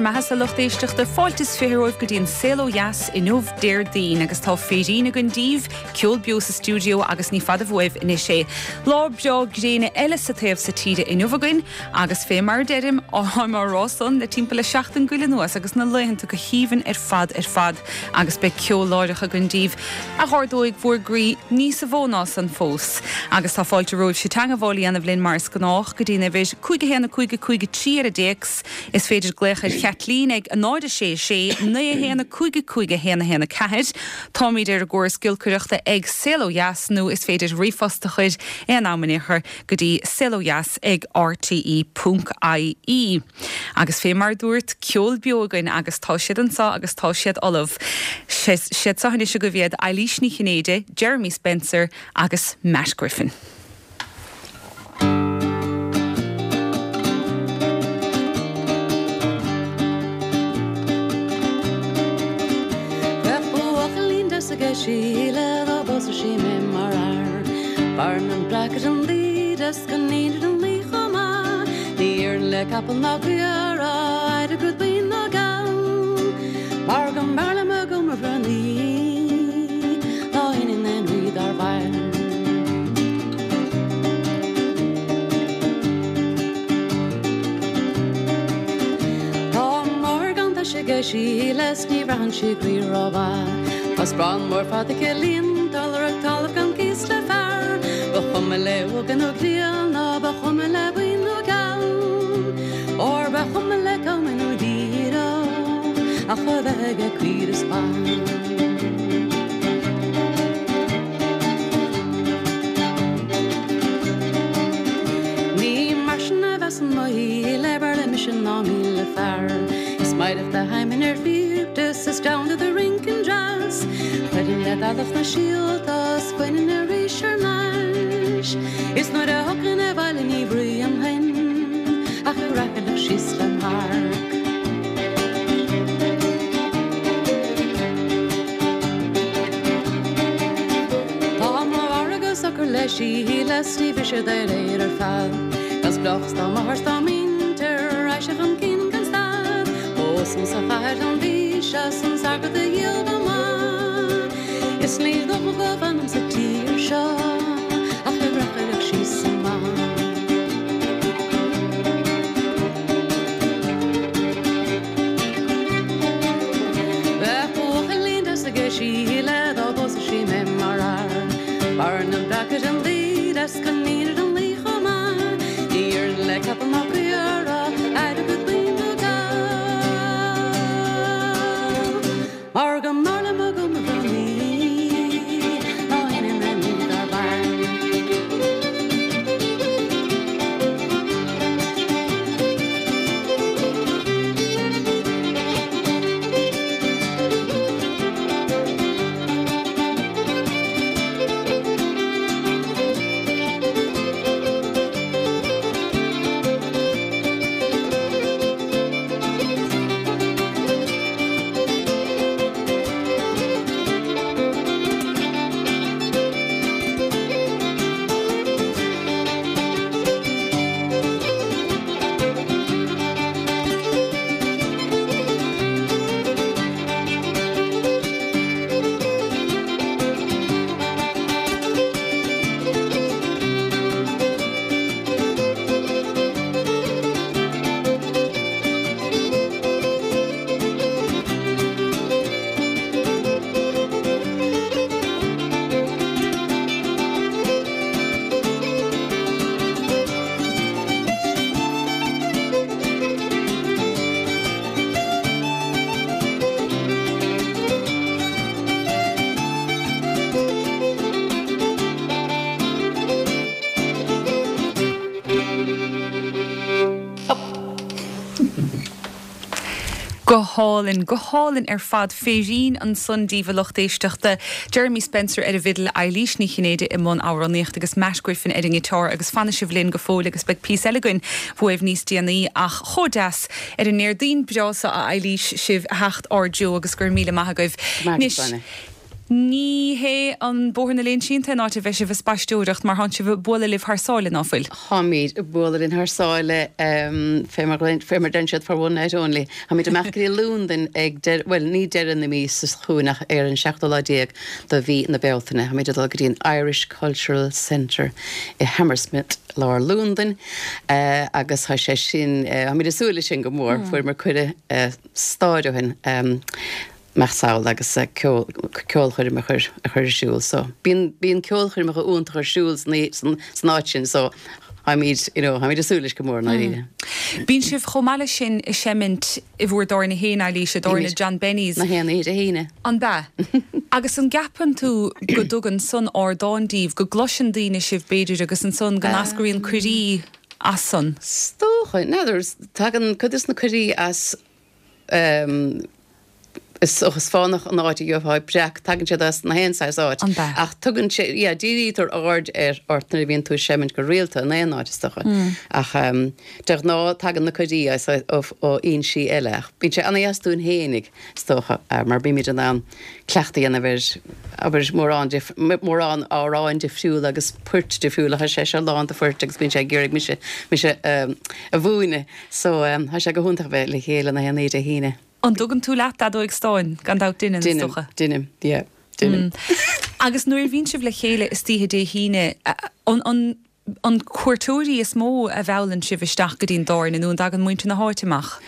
mbeatha-sa lucht éisteachta, fáilte is 20 romhaibh go dtí an Saol Ó Dheas inniu Déardaoin agus tá féirín againn daoibh, ceol beo sa stiúideo agus ní fada uaibh anois é. Lá breá gréine eile sa taobh so tíre inniu againn agus fé mar a deirim, táim á rá san le timpeall le seachtain go leith anuas agus na laethanta go haoibhinn ar fad ar fad agus beidh ceol láithreach againn daoibh a dh'ardóidh bhur gcroí níosa mhó ná san fós. Agus tá fáilte romhaibhse teangabháil a dhéanamh linn mar is gnách go dtí'n uimhir 5 1 5 5 3 ar an dtéacs. Is féidir glaoch ar Chaitlín ag 0 6 6 9 1 5 5 1 1 4. Táimíd ar an gcóras giolcaireachta ag Saol Ó Dheas nó is féidir ríomhphost a chuir aon am in aon chor go dtí saolodheas ag rte ponc ie. Agus fé mar a dúrt, ceol beo againn agus tá siad anso agus tá siad ullamh. Siad seo anois agaibh iad, Eilís Ní Chinnéide, Jeremy Spencer agus Matt Griffin. Bheadh buachaillín deas aige Síle dá bpósfadh sí mé mar fhear. B'fhearr liom breacadh an laoi de 's go n-aonad an laoi chomh maith. Ní iarrann le capall ná caora airgead buí ná geal. Mar go mb'fhearr liom a gcuma bhranaí ná iníon aon rí dár mhair. Tá a máthair gan taise aige Síle 's ní bhraitheann sí croí rómhaith. Tá sparán mór fada aici líonta, lorg talamh gan cíos le fear. Ba chuma léi óg nó críonna, ba chuma léi buí nó geal. Óir ba chuma léi cuma nó díreach ach a bheith aige caoire is ba. Ní mar sin a bheas mo shaol b'fhearr liom mise ná 1000 fear. Is meidhreach do theidhminn ar phíb is is domhanda do rinnceann deas. Chuirfinn le bealach na síolta 's bhainfinn arís thar n-ais. Is nuair a thiocfainn abhaile ní bhruíonfainn ach ag racaireacht síos lem tharc. Tá mo mhairg go socair le Síle 's ní mhiste dá réir ar fad. Gan spleáchas dá máthair 's dá muintir, raghaidh sé chun cinn gan stad. Pósfam sa chathair an mhí seo 's an t-airgead a dhíol go maith. Is ní dócha go bhfanfam sa tír seo ach ag reacaireacht síos amach. Bheadh buachaillín deas aige Síle dá bpósfadh sí mé mar fhear. B'fhearr liom breacadh an laoi deas coinín ar an laoi chomh maith. Ní iarrann le capall ná caora airgead buí nó geal. Mar go mb'fhearr liom a gcuma bhranaí ná iníon aon rí dár mhair. Go hálainn, go hálainn ar fad. Féirín ansan daoibh a lucht éisteachta. Jeremy Spencer ar an bhfidil, Eilís Ní Chinnéide i mbun amhránaíochta agus Matt Griffin ar an ngiotár agus fanfaidh sibh linn go fóill agus beidh píosa eile againn uaibh níos déanaí ach chomh deas ar an nDéardaoin breá seo a Eilís sibh a theacht ár dtreo agus go raibh míle maith agaibh. Anois. Ní hé an Bóthar na Léinsí an t-aon áit a bheidh sibh ag spaisteoireacht mar tánn sibh ag bualadh libh thar sáile, ná fuil? Táimid ag bualadh linn thar sáile, fé mar fé mar deireann siad for one night only. Táimid amach go dtí Londain ag deireadh, bhuel ní deireadh na míosa seo chugainn ach ar an seachtú lá déag de mhí na Bealtaine. Táimid ag dul go dtí an Irish Cultural Centre i Hammersmith, lár Londain agus tá sé sin, táimid ag súil leis sin go mór. Fuaireamar cuireadh staid ó shin. Imeacht sall agus ceol, ceolchoirm a chur, a chur ar siúl. So, bíonn, bíonn ceolchoirmeacha iontacha ar siúl san, san, san áit sin so táimid, you know, táimid ag súil leis go mór i ndáiríre. Bíonn sibh chomh maith leis sin ag seimint i bhur dtábhairne féin, Eilís, i dtábhairne John Benny's. Na haon oíche Dé hAoine. An b'ea? Agus an gceapann tú go dtugann san ardán daoibh, go gcloiseann daoine sibh b'fhéidir agus ansan go n-eascraíonn cuirí as san? Is dócha. N'fheadar, tagann cuid des na cuirí as Is is fánach an áit a gheofá breac, tagann siad as na haon saghas áit. An b'ea? Ach tugann sé, yeah, dírítear aird ar ort nuair a bhíonn tú ag seimint go rialta in aon áit is dócha. Ach de ghnáth tagann na cuirí as ó fhoinsí eile. Ach bíonn sé ana-dheas dúinn fhéinig, is dócha, mar bímid in ann cleachtadh a dhéanamh ar, abair, mórán mórán amhráin difriúla agus poirt difriúla. Tá sé seo lán de phoirt agus bíonn sé ag iarraidh mise, mise a mhúineadh. So, tá sé go hiontach a bheith le chéile na haon oíche Dé hAoine. An dtugann tú leat d'fheadóig stáin? Gan dabht deineann, is dócha. Deinim, yeah, deinim. Agus nuair a bhíonn sibh le chéile istoíche Dé hAoine, an, an, an cuairteoirí is mó a mheallann sibh isteach go dtí'n dtábhairne nó an dtagann muintir na háite amach?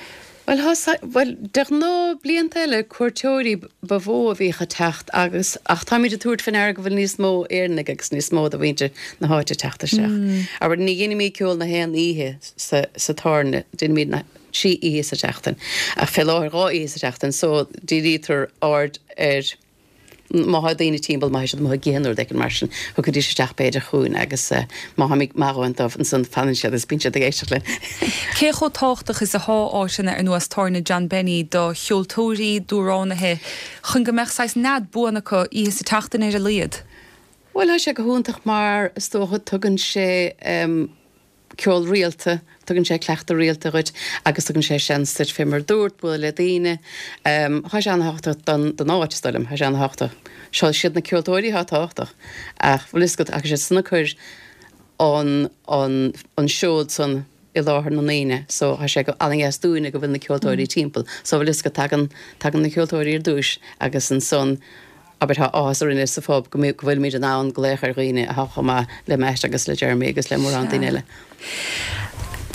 Bhuel, thá, bhuel, de ghnáth, blianta eile, cuairteoirí ba mhó a bhíodh ag teacht agus, ach táimid ag tabhairt faoi ndeara go bhfuil níos mó Éireannaigh agus níos mó de mhuintir na háite ag teacht isteach. Abair, ní dheinimid ceol na haon oíche sa, sa tábhairne, deinimid na trí oíche sa tseachtain, ach fé láthair dhá oíche sa tseachtain, so dírítear aird ar, Má thá daoine timpeall, má thá siad amuigh ag ithe nó rud éicint mar sin, thiocfaidís isteach b'fhéidir chugainn agus má tháimid maith a dhóthain dóibh, ansan fanann siad agus bíonn siad ag éisteacht linn. Cé chomh tábhachtach is athá áiteanna ar nós Tábhairne John Benny do cheoltóirí, d'amhránaithe, chun go mbeadh saghas nead buan acu oíche sa tseachtain ar a laghad? Bhuel, thá sé go hiontach mar is dócha tugann sé ceol rialta, tugann sé cleachtadh rialta dhuit agus tugann sé seans duit fé mar a dúirt, bualadh le daoine. Thá sé ana-thábhachtach don don áit, is dóigh liom, thá sé ana-thábhachtach. Seo, siad na ceoltóirí athá tábhachtach ach bhfuil fhios agat, ach is iad san a chuir an an an seod san i láthair na ndaoine so thá sé go ana-dheas dúinne go bhfuil na ceoltóirí timpeall. So bhfuil fhios agat, tagann tagann na ceoltóirí ar dtúis agus ansan Abair, tá áthas orainne sa phub go bhfuilimid in ann glaoch ar dhaoine atá chomh maith le Matt agus le Jeremy agus le mórán daoine eile.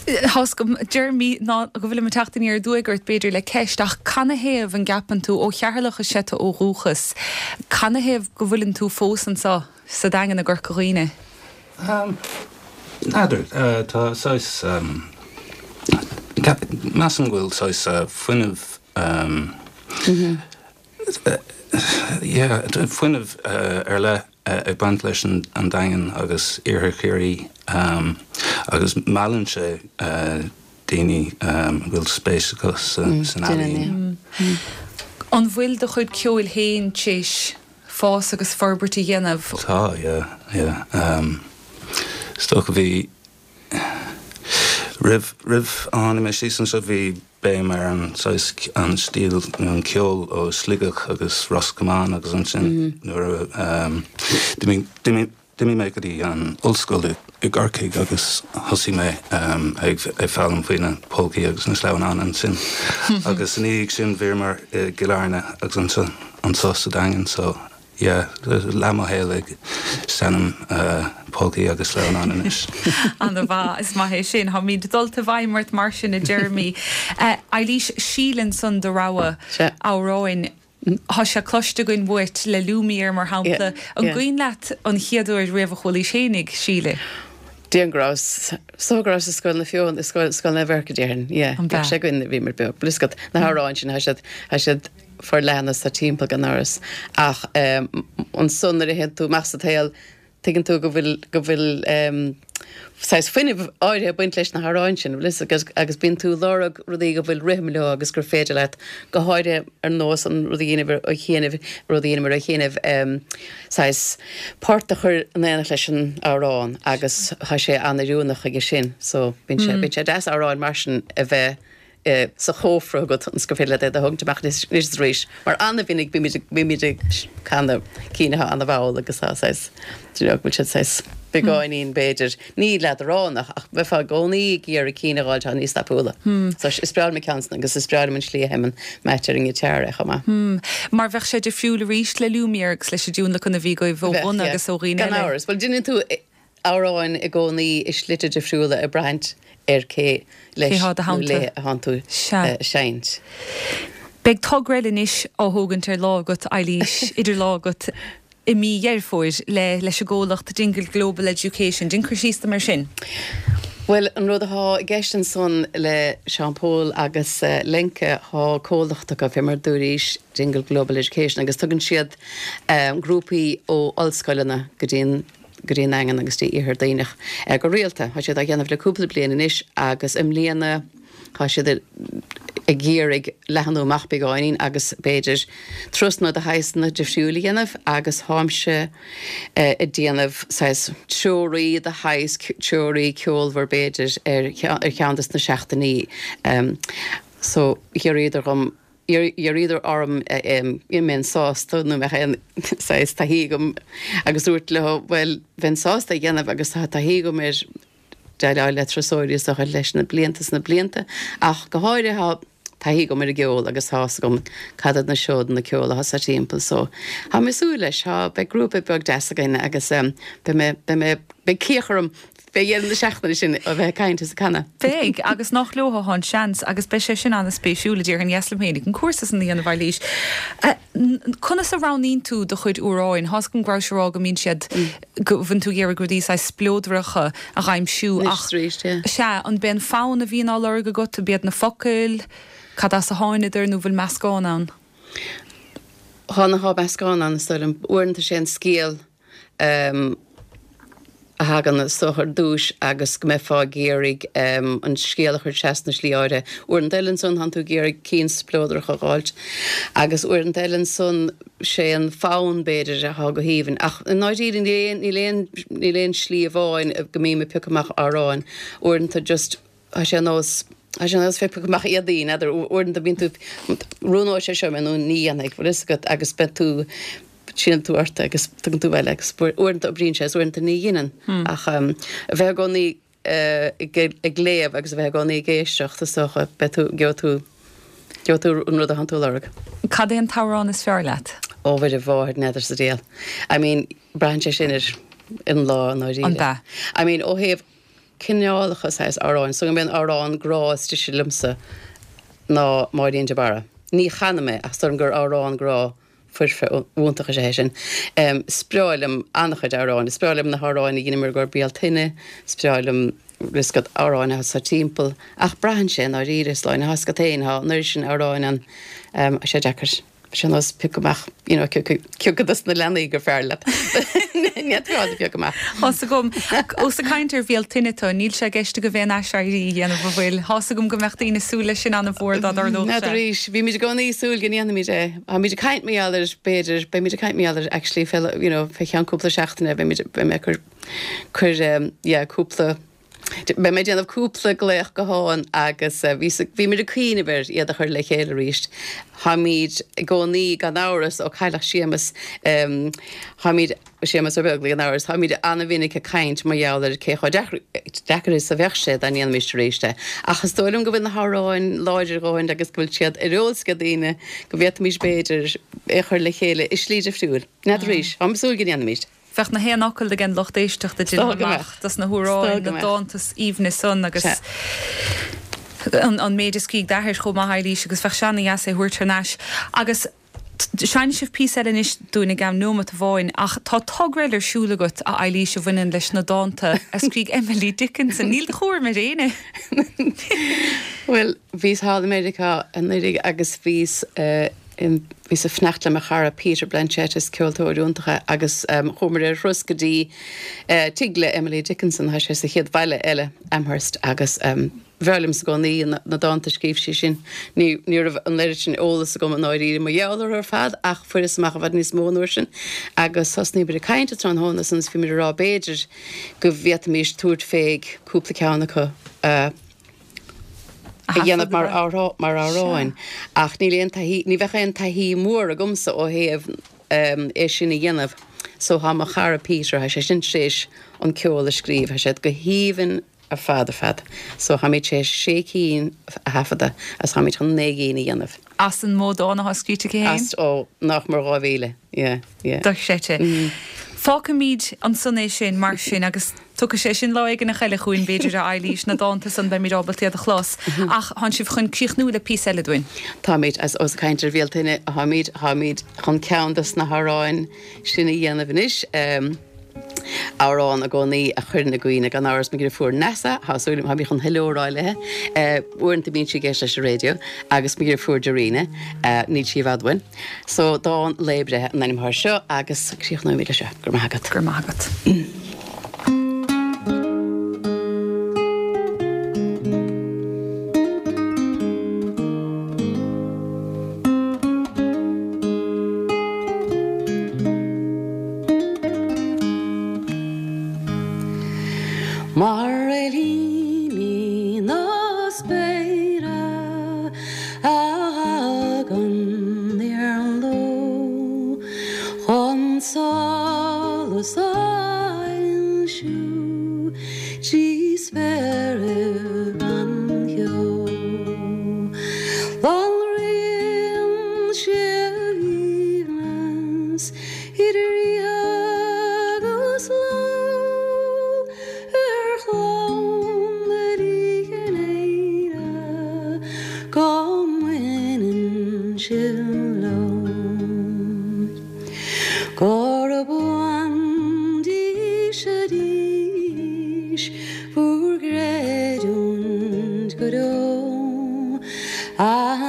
Tá's agam, Jeremy, ná go bhfuilim ag teacht aniar aduaidh ort, b'fhéidir, le ceist, ach canathaobh an gceapann tú, ó Cheatharlach is ea tú ó dhúchas, canathaobh go bhfuileann tú fós anseo sa Daingean i gCorca Dhuibhne? N'fheadar. Tá saghas, measaim go bhfuil saghas fuinneamh, Yeah, fuinneamh ar leith ag baint leis an Daingean agus Iarthar Chiarraí agus meallann sé daoine a bhfuil spéis acu san ealaín. An bhfuil do chuid ceoil féin t'éis fás agus forbairt a dhéanamh? Tá, yeah, yeah. Is dócha bhí, roimh, roimh a tháinig mé síos anseo bhí béim ar an saghas, an stíl nó an ceol ó Sligeach agus Ros Comáin agus ansin nuair a d'imigh, d'imigh, d'imigh mé go dtí an ollscoil i gCorcaigh agus thosaigh mé ag foghlaim faoi na polcaí agus na sleamhnáin ansin agus ina dhiaidh sin bhíomar i gCill Airne agus ansin anseo sa Daingean so Yeah, leath mo shaol ag seinm polcaí agus sleamhnáin anois. Ana mhaith, is maith é sin. Táimid dulta i bhfeidhm ort mar sin, a Jeremy. Eilís, Síle ansan do rogha amhráin. Tá sé cloiste againn uait le Lumiere mar shampla. An gcuimhin leat an chéad uair riamh a chualaís fhéinig Síle? Déarfainn go rabhas, is dócha go rabhas i Scoil na Feothanaí, i Scoil, Scoil Naomh Eirce déarfainn, yeah. An b'ea? Bhíodh sé againn nuair a bhíomar beag. Bhfuil fhios agat, na hamhráin sin, tá siad, tá siad forleathan is tá timpeall gan amhras. Ach ansan nuair a théann tú amach sa tsaol, tuigeann tú go bhfuil, go bhfuil saghas fuinnimh áirithe ag baint leis na hamhráin sin, bhfuil fhios agat, agus bíonn tú ag lorg rudaí go bhfuil rithim leo agus gur féidir leat, go háirithe ar nós an rud a dheineamar ó chianaibh, rud a dheineamar ó chianaibh, saghas port a chur in éineacht leis an amhrán agus tá sé an-oiriúnach chuige sin. So bíonn sé, bíonn sé deas amhráin mar sin a bheith. sa chófra agat ionas gur féidir leat iad a thógaint amach anois is arís mar an-mhinic bímid bímid ag canadh cinn atá an-mhall agus tá saghas do you know go bhfuil siad saghas beagáinín b'fhéidir ní leadránach ach bheifeá i gcónaí ag iarraidh cinn a dh'fháil atá níos tapúla. So is breá liom an ceann san agus is breá liom an slí a sheinneann Matt ar an ngiotár é chomh maith. Mar bheadh sé difriúil arís le Lumière agus leis an dtionlacan a bhí agaibh ó bhunadh agus ó dhaoine eile. Gan amhras. Bhuel déanann tú amhráin i gcónaí i slite difriúla ag braithint ar cé leis nó léi atánn tú ag seinnt. Beidh togra eile anois á thógaint ar lámh agat, Eilís, idir lámha agat i mí Dheireadh Fómhair le leis an gcomhlacht Dingle Global Education. Déan cur síos dom ar sin. Bhuel, an rud athá i gceist ansan le Seán Pól agus Lenka, thá comhlacht acu, fé mar dúraís, Dingle Global Education, agus tugann siad grúpaí ó ollscoileanna go dtí an go dtí an nDaingean agus dtí Iarthar Duibhneach go rialta. Tá siad á dhéanamh le cúpla bliain anois agus i mbliana tá siad ag iarraidh leathnú amach beagáinín agus b'fhéidir turasanna de shaghsanna difriúil a dhéanamh agus táimse ag déanamh saghas treoraí de shaghas, treoraí ceolmhar b'fhéidir ar cheann des na seachtainí so d'iarraíodar dhom D'iarraíodar orm an mbeinn sásta nó mbeadh aon saghas taithí agam agus dúrt leo bhuel bheinn sásta é a dhéanamh agus tá taithí agam ar déileáil le turasóirí is dócha leis na blianta is na blianta ach go háirithe tá taithí agam ar an gceol agus tá fhios agam cad iad na seodanna ceoil atá sa timpeall so tá mé ag súil leis tá beidh grúpa beag deas againn agus beidh mé beidh mé beidh cíoch orm Fé dheireadh na seachtaine sin a bheith ag caint is ag canadh. Beidh, agus nach leo atá an seans, agus beidh sé sin an-spéisiúil, a déarfainn. Dheas liom féinig an cúrsa san a dhéanamh, Eilís. Conas a roghnaíonn tú do chuid amhráin? Tá's agam go rabhais ag rá go mbíonn siad, go bhfuil tú ag iarraidh rudaí saghas spleodracha a dh'aimsiú ach, sea, an b'é an fonn a bhíonn á lorg agat, an b'iad na focail, cad as a tháinadar nó bhfuil meascán ann? Tá, tá meascán ann, is dóigh liom. Uaireanta sé an scéal. a thagann is dócha ar dtúis agus go mbeifeá ag iarraidh an scéal a chur trasna i slí áirithe. Uaireanta eile ansan tánn tú ag iarraidh cinn spleodracha a dh'fháilt agus uaireanta eile ansan sé an fonn b'fhéidir athá go haoibhinn. Ach i ndáiríre níl aon, níl aon, níl aon slí amháin go mbím ag piocadh amach amhráin. Uaireanta just Tá sé ar nós, tá sé ar nós bheith ag piocadh amach éadaí, n'fheadar, uaireanta bíonn tú, roghnóidh sé seo mé nó ní dhéanfaidh, bhfuil fhios agat, agus beidh tú, síneann tú ort agus tugann tú abhaile agus uaireanta oibríonn sé is uaireanta ní dheineann. Ach a bheith i gcónaí ag léamh agus a bheith i gcónaí ag éisteacht is dócha, beidh tú, gheobhaidh tú, gheobhaidh tú an rud atánn tú a lorg. Cad é an t-amhrán is fearr leat? Ó Mhuire Mháthair, n'fheadar sa diabhal. I mean, braitheann sé sin ar an lá i ndáiríre. An ea? I mean, ó thaobh cineálacha saghas amhráin. So gurb é an amhrán grá is deise liomsa ná Máirín de Barra. Ní chanaim é ach is dóigh liom gur amhrán grá foirfe iontach is ea é sin. Is breá liom an-chuid amhráin. Is breá liom na hamhráin a dheineamar i gcomhair Bealtaine, is breá liom bhfuil fhios agat amhráin atá timpeall. Ach braitheann sé i ndáiríre, Sláine, tá fhios agat féin, tá an oiread sin amhráin ann, tá sé deacair. Sé nós piocadh amach, you know, cé acu dos na leanaí gur fearr leat. Ní fhéadfá a phiocadh amach. Tá's agam. Ós ag caint ar Bhealtaine tú, níl sé i gceist agaibh aon aiséirí a dhéanamh, an bhfuil? Tá's agam go mbeadh daoine ag súil leis sin an-mhór dá dtarlódh sé. N'fheadar arís. Bhímid i gcónaí ag súil go ndéanfaimid é. Táimid ag caint mar gheall air, b'fhéidir, beimid ag caint mar gheall air actually fé, you know, fé cheann cúpla seachtaine, beimid, beidh mé ag cur, cur, yeah, cúpla, Beidh mé ag déanamh cúpla glaoch gutháin agus bhímid ag cuimhneamh ar iad a chur le chéile arís. Táimid i gcónaí, gan amhras, ó cailleadh Séamus, táimid, Séamus Ó Beaglaoich gan amhras, táimid an-mhinic ag caint mar gheall ar cé chomh deacair is a bheadh sé dá ndéanfaimis arís é. Ach is dóigh liom go bhfuil na hamhráin láidir a dhóthain agus go bhfuil siad ar eolas ag daoine go bhféadfaimis b'fhéidir é a chur le chéile i slí difriúil. N'fheadar arís. Táim ag súil go ndéanfaimid. Bheadh na haon fhocal ag an lucht éisteachta déanaim amach dos na hamhráin, na dánta is aoibhne san agus an méid a scrígh d'athair chomh maith, Eilís, agus bheadh sé ana-dheas é a thabhairt thar n-ais. Agus seinnfidh sibh píosa eile anois dúinn i gceann neomat amháin, ach tá togra eile ar siúl agat, a Eilís, a bhaineann leis na dánta a scrígh Emily Dickinson. Níl do chúram ar éinne! Bhuel, bhíos thall i Meiriceá anuraidh agus bhíos Bhíos ag fanacht le mo chara Peter Blanchette, is ceoltóir iontach é, agus chuamar ar thuras go dtí tigh le Emily Dickinson, tá sé sa chéad bhaile eile, Amherst, agus bhreá liomsa i gcónaí na dánta a scríobh sí sin. Ní ní raibh an oiread sin eolas agam i ndáiríre mar gheall orthu ar fad ach fuaireas amach i bhfad níos mó an uair sin agus thosnaíomar ag caint an tráthnóna san agus bhíomar ag rá b'fhéidir go bhféadfaimis tabhairt fé cúpla ceann acu a. A dhéanamh mar mar amhráin ach níl aon taithí, ní bheadh aon taithí mhór agamsa ó thaobh é sin a dhéanamh. So tá mo chara Peter, tá sé sin tar éis an ceol a scríobh, tá siad go haoibhinn ar fad ar fad. So táimid tar éis sé cinn a thaifeadadh agus táimid chun 9 gcinn a dhéanamh. As an mó dán atá scríte aici féin? As, ó, nach mór 2,000, yeah, yeah. Dochreidte. Fágfaimid ansan é sin mar sin agus. Tiocfaidh sé sin lá éigineach eile chugainn, b'fhéidir, a Eilís, na dánta san, beimid ábalta iad a chlos. Ach tánn sibh chun críochnú le píosa eile dúinn. Táimid, as ós ag caint ar Bhéaltaine atáimid, táimid chun ceann dos na hamhráin sin a dhéanamh anois. Amhrán i gcónaí a chuireann i gcuimhne, gan amhras, mo dheirfiúr Neasa, tá súil agam, táimid chun hello a rá léi, uaireanta bíonn sí ag éisteacht leis an raidió, agus mo dheirfiúr Darina, níl sí i bhfad uainn. So, dán lae breithe an ainm atá air seo agus críochnóimid leis seo. Go raibh maith agat. Go raibh maith agat. Mar réiltíní na spéire. A thagann ar an ló chun solas a fhoilsiú trí spéirbh gan cheo. Lonraíonn sé a haoibhneas idir oíche agus ló. Ar chlann Uí Chinnéide go mbaineann sibh leo. Gurb uain dís arís bhur gcreidiúint go deo. A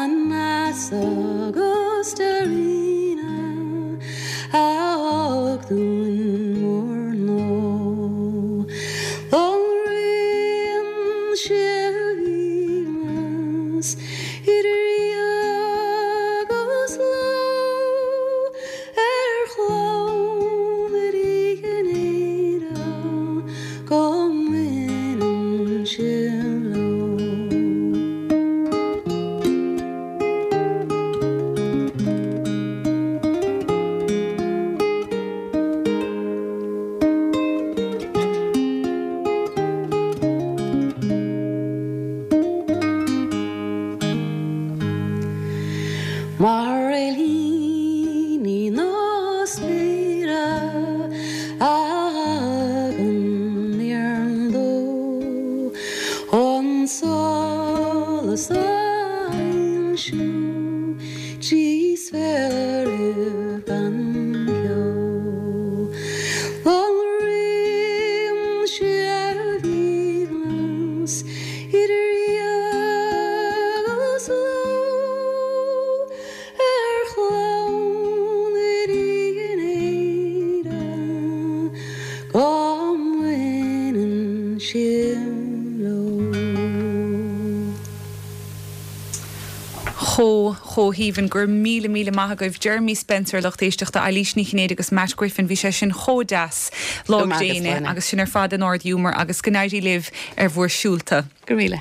Neasa agus Darina a thug dúinn bhur ngnó. Lonraíonn sé a haoibhneas idir oíche agus ló ar chlann Uí Chinnéide go mbaineann sibh leo. Mar réiltíní na spéire a thagann ar an ló chun solas a fhoilsiú trí spéirbh gan cheo. Lonraíonn sé a haoibhneas idir oíche agus ló ar chlann Uí Chinnéide go mbaineann sibh leo. Chomh, chomh haoibhinn. Go raibh míle, míle maith agaibh. Jeremy Spencer, lucht éisteachta, Eilís Ní Chinnéide agus Matt Griffin. Bhí sé sin chomh deas. Lá Go maith agat, gréine Sláine. agus sin ar fad in ard-ghiúmar agus go n-éirí libh ar bhur siúlta. Go raibh míle.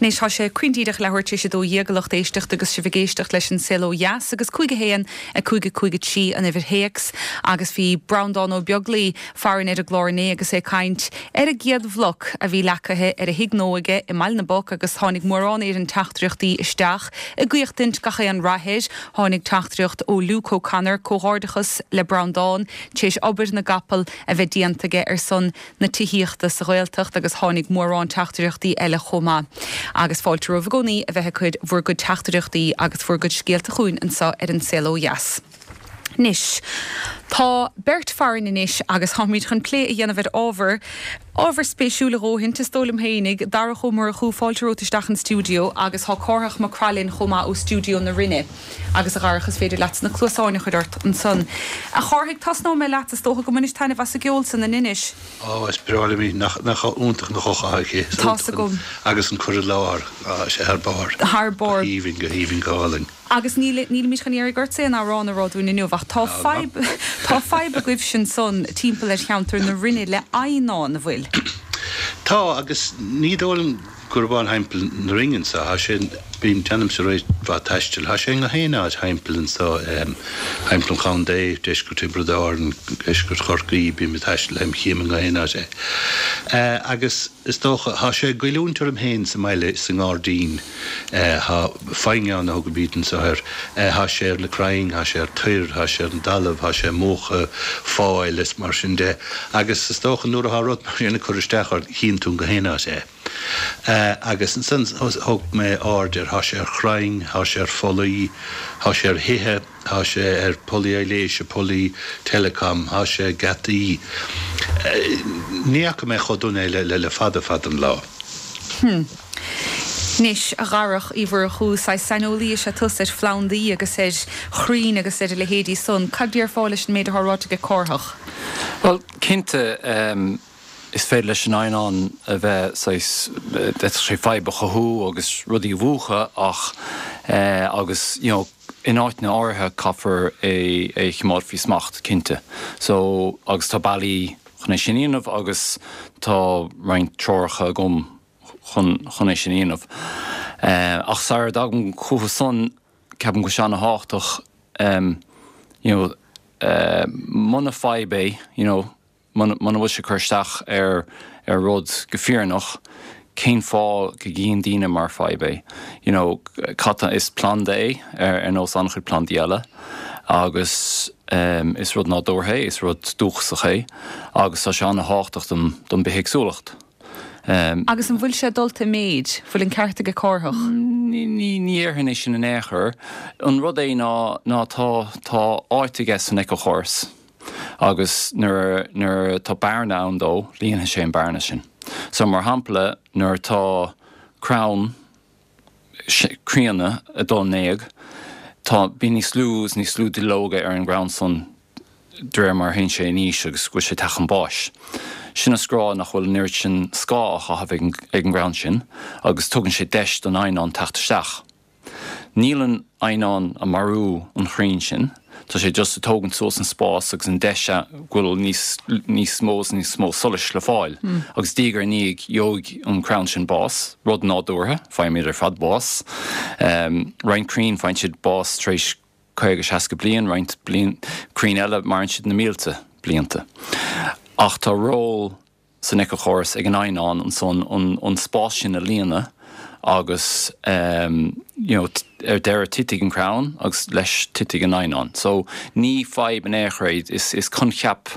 Anois tá sé cruinn díreach leathuair tar éis 12 a lucht éisteachta agus sibh ag éisteacht leis an Saol Ó Dheas agus 5 1 5 5 3 an uimhir théacs agus bhí Breandán Ó Beaglaoi farainn ar an gclár inné agus é ag caint ar an gcéad bhloc a bhí leagtha ar a thigh nua aige i mBaile na bPoc agus tháinig mórán Éireann teachtaireachtaí isteach ag guíochtaint gach aon rath air. Tháinig teachtaireacht ó Luke O'Connor, Comhghairdeachas le Breandán tar éis obair na gcapall a bheith déanta aige ar son na tithíochta sa Ghaeltacht agus tháinig mórán teachtaireachtaí eile chomh maith. Agus fáilte romhaibh i gcónaí a bheith ag cur bhur gcuid teachtaireachtaí agus bhur gcuid scéalta chugainn anseo ar An Saol Ó Dheas. Anois, tá beirt farainn anois agus táimid chun plé a dhéanamh ar ábhar, ábhar spéisiúil a dhóthaint, is dóigh liom fhéinig. Darach Ó Murchú, fáilte romhat isteach an stiúideo agus tá Cárthach Mac Craith linn chomh maith ó stiúideo na Rinne. Agus a Dharach, is féidir leatsa na cluasáin a chur ort ansan. A Chárthaigh, tosnóidh mé leat, is dócha go mbainis taitneamh as an gceol san in Inis. Ó, is breá liom í. Nach iontach an ghuth atá aici. Is Tá's iontach agam. Agus an cur i láthair, tá sé thar barr. Thar barr. Go haoibhinn, go haoibhinn, go hálainn. Agus níl, nílimid chun iarraidh ortsa aon amhrán a rá dúinn inniu, ach tá fadhb, tá fadhb agaibhse ansan timpeall ar cheantar na Rinne le eidhneán, an bhfuil? Tá, agus ní dóigh liom. gurb thimpeall na Rinne anso, thá sé, bím, déanaimse roinnt mhaith taistil, thá sé i ngach aon áit thimpeall anso, thimpeall an chontae, deisceart Thiobraid Árann, deisceart Chorcaí, bím ag taisteal, tchím i ngach aon áit é. Agus is dócha, thá sé ag goilliúint orm féin sa mbaile, sa ngairdín, thá foighneán a thugaimíd anso air, thá sé ar na crainn, thá sé ar toir, thá sé ar an dtalamh, thá sé ag múchadh fáil is mar sin de. Agus is dócha nuair athá rud mar sin ag cur isteach ort, chíonn tú in gach aon áit é. Agus ansan thug mé aird air, thá sé ar chrainn, thá sé ar phollaí, thá sé ar thithe, thá sé ar pollaí aibhléise, pollaí telecom, thá sé ag geataí. Ní fhaca mé chomh dona é le le fada fada an lá. Hm. Anois, a Dharach Uí Mhurchú, saghas saineolaí is ea tusa ar phlandaí agus ar chrainn agus ar a leithéidí san. Cad déarfá leis an méid atá ráite aige Cárthach? Bhuel, cinnte, is féidir leis an eidhneán a bheith saghas, d'fhéadfadh sé fadhb a chothú agus rudaí a mhúchadh ach, agus, you know, in áiteanna áirithe caithfear é a choimeád faoi smacht, cinnte. So, agus tá bealaí chun é sin a dhéanamh agus tá roinnt treoracha agam chun chun é sin a dhéanamh. Ach sara dtagaim chucu san, ceapaim go bhfuil sé ana-thábhachtach, you know, muna fadhb é, you know, muna bhfuil sé ag cur isteach ar ar rud go fírinneach, cén fáth go gcíonn daoine mar fadhb é? You know, cad tá, is planda é ar ar nós an-chuid plandaí eile agus is rud nádúrtha é, is rud dúchasach é agus tá sé an-thábhachtach don don bithéagsúlacht. Agus an bhfuil sé dulta i méid? Bhfuil an ceart aige Cárthach? Ní ní dhéarfainn é sin in aon chor. An rud é ná ná tá tá áit aige san éiceachóras agus nuair nuair atá bearna ann dó, líonfaidh sé an bearna sin. So mar shampla nuair atá crann críonna ag dul in éag, tá bíonn níos lú is níos lú duilleoga ar an gcrann san de réir mar a théann sé in aois agus go bhfuil sé ag teacht chun báis. Sin is le rá nach bhfuil an oiread sin scáth á chaitheamh ag an gcrann sin agus tugann sé deis don eidhneán teacht isteach. Níl an eidhneán ag marú an chrainn sin, tá sé just ag tógaint suas an spás agus an deis go bhfuil níos níos mó is níos mó solais le fáil. Agus diaidh ar ndiaidh gheobhaidh an crann sin bás, rud nádúrtha, faighimid ar fad bás. Roinnt crainn faigheann siad bás tar éis 50, 60 bliain, roinnt bliain, crainn eile maireann siad na mílte blianta. Ach tá ról san éiceachóras ag an eidhneán ansan an spás sin a líonadh agus you know ar deireadh titfidh an crann agus leis titfidh an eidhneán. So ní fadhb in aon chor é, is is coincheap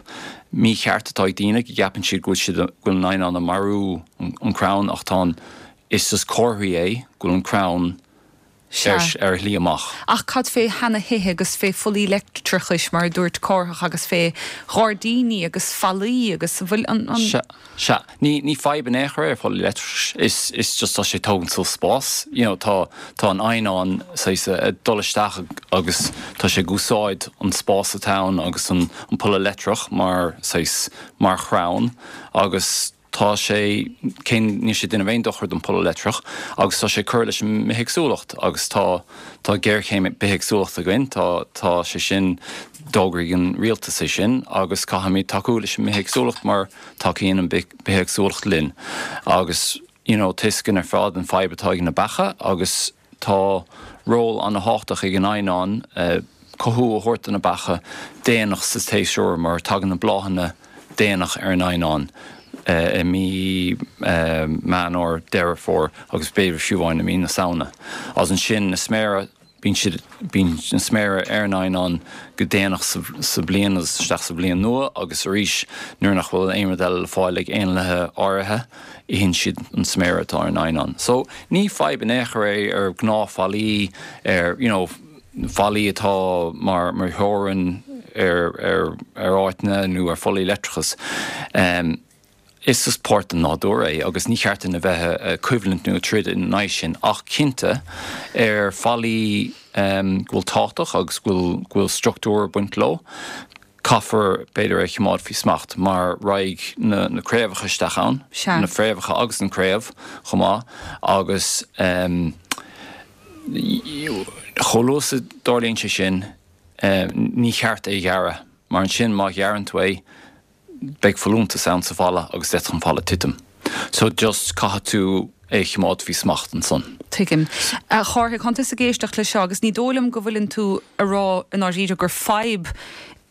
mícheart atá ag daoine go gceapann siad go bhfuil siad go bhfuil an eidhneán ag marú an crann ach tá an is just comharthaí é go bhfuil an crann Sea. ar a shlí amach. Ach cad fé sheana-thithe agus fé phollaí leictreachais, mar a dúirt Cárthach, agus fé ghairdíní agus fallaí agus an bhfuil an, an. Sea, sea. Ní, ní fadhb in aon chor é ar phollaí leictreachais. Is, is just tá sé ag tógaint suas spás. You know, tá, tá an eidhneán saghas ag dul isteach agus tá sé ag úsáid an spás atá ann agus an, an polla leictreach mar saghas, mar chrann agus, Tá sé, cé níl sé ag déanamh aon dochar don pholla leictreach agus tá sé ag cur leis an mbithéagsúlacht agus tá, tá géarchéim bithéagsúlachta againn, tá, tá sé sin, d'fhógraigh an rialtas é sin agus caithfimid tacú leis an mbithéagsúlacht mar tacaíonn an bithéagsúlacht linn agus you know tá 'fhios againn ar fad an fadhb atá ag na beacha agus Tá ról an-thábhachtach ag an eidhneán cothú a thabhairt do na beacha déanach sa tséasúr mar tagann na bláthanna déanach ar an eidhneán i mí Meán Fhómhair, Deireadh Fómhair agus b'fhéidir fiú amháin i mí na Samhna. Agus ansin na sméara, bíonn siad, bíonn na sméara ar an eidhneán go déanach sa bhliain agus isteach sa bhliain nua agus arís nuair nach bhfuil aon rud eile le fáil ag éanlaithe áirithe, itheann siad an sméara atá ar an eidhneán. So, ní fadhb in aon chor é ar ghnáthfhallaí, ar, you know, fallaí atá mar, mar theorainn ar, ar, ar áiteanna nó ar phollaí leictreachais. Um, is just páirt den nádúr é agus ní cheart dúinn a bheith ag coimhlint nó ag troid ina aghaidh sin ach cinnte ar fallaí um, go bhfuil tábhachtach agus go bhfuil, go bhfuil struchtúr ag baint leo, Caithfear, b'fhéidir, é a choimeád faoi smacht mar raghaidh na craobhacha isteach ann, na fréamhacha agus an craobh chomh maith, agus chomh luath is a dtarlaíonn sé sin, ní cheart é a ghearradh mar ansin má ghearrann tú é, beidh folúntas ann sa bhfalla agus d'fhéadfadh an falla titim. So just caithfidh tú. é a chimeád faoi smacht ansan. Tuigim. A Chárthaigh, tánn tusa ag éisteacht leis seo agus ní dóigh liom go bhfuileann tú a rá i ndáiríre gur fadhb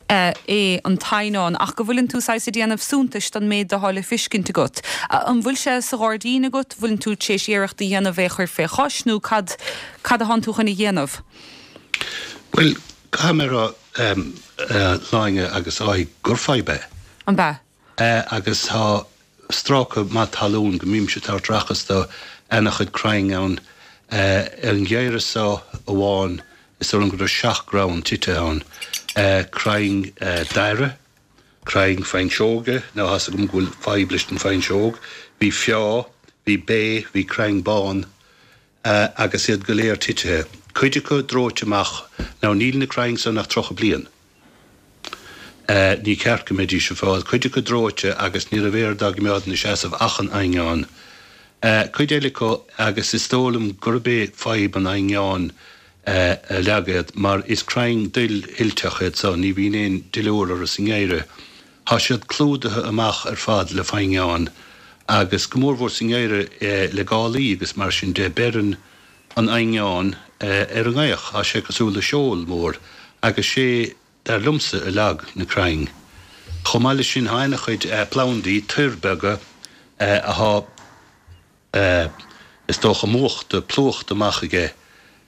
é an t-eidhneán ach go bhfuileann tú saghas ag déanamh suntais don méid atá le fiscint agat. An bhfuil sé sa ghairdín agat, bhfuileann tú tar éis iarracht a dhéanamh é a chur fé chois nó cad cad atánn tú chun a dhéanamh? Bhuel, caithfidh mé a rá, a Shláine agus a Dháithí, gur fadhb é. An b'ea? Agus tá stráca maith talún go mbímse ag tabhairt aireachas do ana-chuid crainn ann. An geimhreadh so amháin is dóigh liom go raibh seacht gcrann tite ann. Crainn daire, crainn fuinseoige, now tá's agam go bhfuil fadhb leis an fuinseog, bhí feá, bhí bé, bhí crainn bán agus iad go léir titithe. Cuid acu dóite amach. Now níl na crainn san ach 30 bliain. Ní ceart go mbeidís ag fáil. Cuid acu dóite agus ní raibh aon rud á gcoimeád ina seasamh ach an eidhneán. Cuid eile acu, agus is dóigh liom gurb é fadhb an eidhneáin a leag iad, mar is crainn duillsilteach iad so, ní bhíonn aon duilliúr orthu sa ngeimhreadh. Tá siad clúdaithe amach ar fad le foighneán agus go mórmhór sa ngeimhreadh le gálaí agus mar sin de, beireann an eidhneán ar an ngaoth. Tá sé cosúil le seol mór agus sé, dar liomsa, a leag na crainn. Chomh maith leis sin, tá ana-chuid plandaí, toir beaga, athá, is dócha, múchta, plúchta amach aige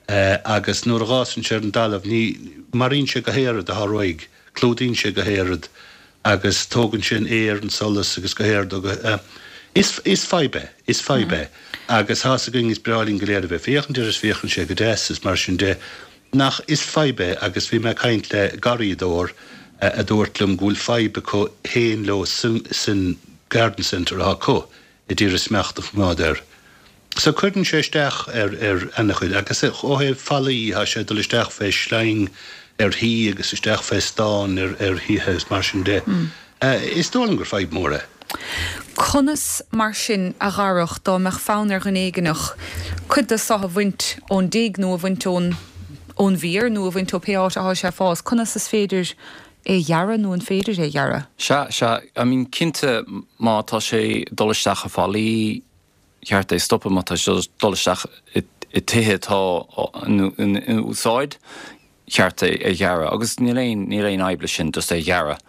agus nuair a dh'fhásann sé ar an dtalamh ní, maraíonn sé gach aon rud athá réidh, clúdaíonn sé gach aon rud agus tógann sé an aer, an solas agus gach aon rud. Is, is fadhb é, is fadhb é agus tá's againn is breá linn go léir a bheith ag féachaint air is féachann sé go deas is mar sin de nach, is fadhb é agus bhí mé ag caint le garraíodóir a dúirt liom go bhfuil fadhb acu féin leo san garden centre atá acu a d'iarraidh smacht a choimeád air. So cuireann sé isteach ar ar ana-chuid agus ó thaobh fallaí tá sé ag dul isteach fé shleang ar thí agus isteach fé stán ar ar thithe is mar sin de. Is dóigh liom gur fadhb mór é. Conas mar sin, a Dharach, dá mbeadh fonn ar dhuine éigineach cuid de so a bhaint ón dtigh nó a bhaint ón ón bhféar nó a bhaint ó pé áit athá sé ag fás, conas is féidir é a ghearradh nó an féidir é a ghearradh? Sea, sea. I mean, cinnte má tá sé ag dul isteach i fallaí, cheart é stopadh, má tá sé ag dul isteach i tithe atá in úsáid, cheart é a ghearradh. Agus níl aon, níl aon fhadhb leis sin, just é a ghearradh.